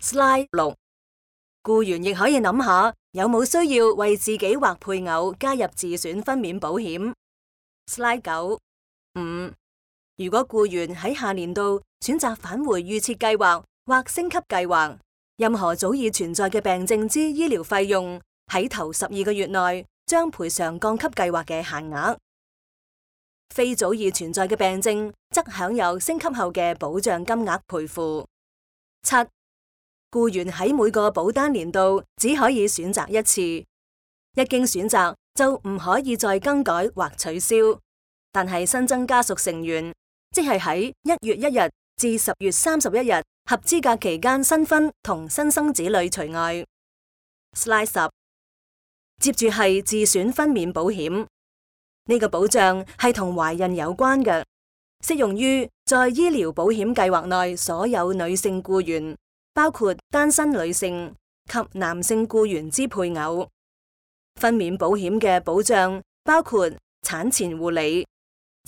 Slide 6，僱員亦可以諗下有冇需要為自己或配偶加入自選分娩保險。Slide 9。5. 如果僱員喺下年度選擇返回預設計劃或升級計劃，任何早已存在嘅病症之醫療費用喺頭12個月內將賠償降級計劃嘅限額。非早已存在嘅病症則享有升級後嘅保障金額賠付。7. 僱員喺每個保單年度只可以選擇一次，一經選擇就唔可以再更改或取消。但係新增家屬成員，即係喺1月1日至10月31日合資格期間新婚同新生子女除外。Slide 10。接住係自選分娩保險，呢個保障係同懷孕有關嘅，適用於在醫療保險計劃內所有女性僱員，包括單身女性及男性僱員之配偶。分娩保險嘅保障包括產前護理、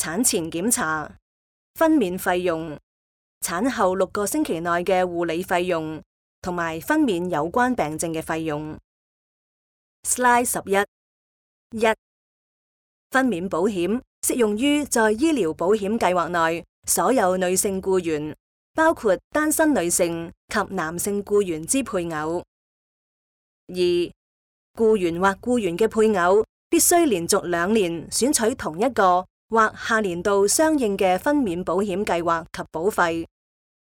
產前檢查、分娩費用、產後6個星期內嘅護理費用同埋分娩有關病症嘅費用。Slide 11。1. 分娩保險適用於在醫療保險計劃內所有女性僱員，包括單身女性及男性僱員之配偶。2. 僱員或僱員嘅配偶必須連續2年選取同一個或下年度相應嘅分娩保險計劃及保費，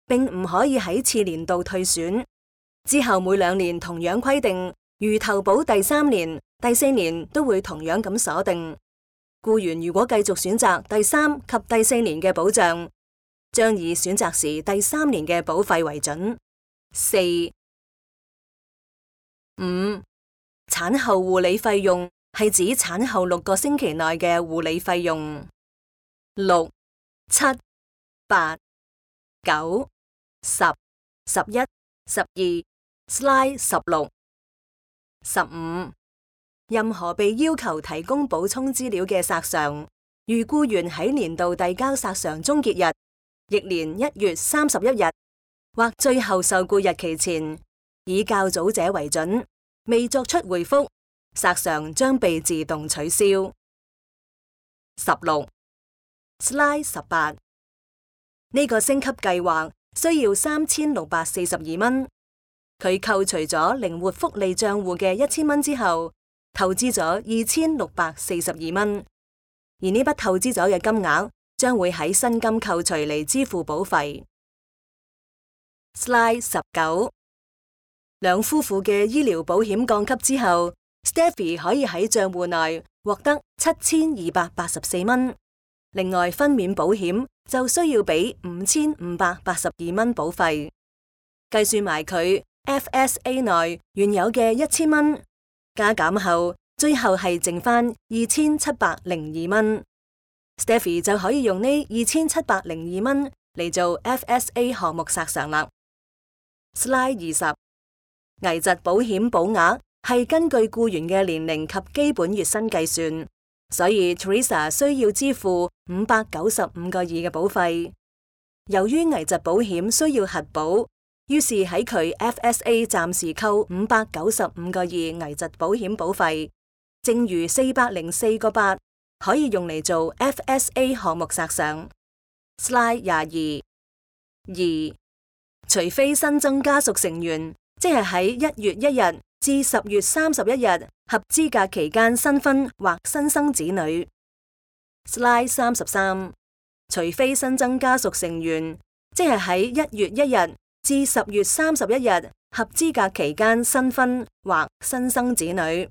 並唔可以喺次年度退選。之後每2年同樣規定，如投保第3年、第4年都會同樣咁鎖定。僱員如果繼續選擇第3及第4年嘅保障，將以選擇時第3年嘅保費為準。4. 5. 產後護理費用係指產後6個星期內嘅護理費用。6、7、8、9、10、11、12 Slide 16。15. 任何被要求提供補充資料嘅索償，如僱員喺年度遞交索償終結日，翌年1月31日或最後受僱日期前，以較早者為準，未作出回覆，索償將被自動取消。16 Slide 18。呢個升級計劃需要3642蚊，佢扣除咗靈活福利賬戶嘅1000蚊之後，投資咗2642蚊，而呢筆投資咗嘅金額將會喺薪金扣除嚟支付保費。Slide 19。兩夫婦嘅醫療保險降級之後，Stephy 可以喺賬戶內獲得7284蚊。另外，分娩保險就需要俾5582蚊保費。計算埋佢 FSA 內原有嘅1000蚊，加減後，最後係剩翻2702蚊。Stephy 就可以用呢2702蚊嚟做 FSA 項目索償啦。Slide 20。危疾保險保額係根據僱員嘅年齡及基本月薪計算，所以 Teresa 需要支付595個2嘅保費。由於危疾保險需要核保，於是喺佢 FSA 暫時扣595個2危疾保險保費，剩餘404個8可以用嚟做 FSA 項目索償。Slide 22。2. 除非新增家屬成員，即係喺1月1日至10月31日合資格期間新婚或新生子女。Slide 33。除非新增家屬成員，即係喺1月1日至10月31日合資格期間新婚或新生子女。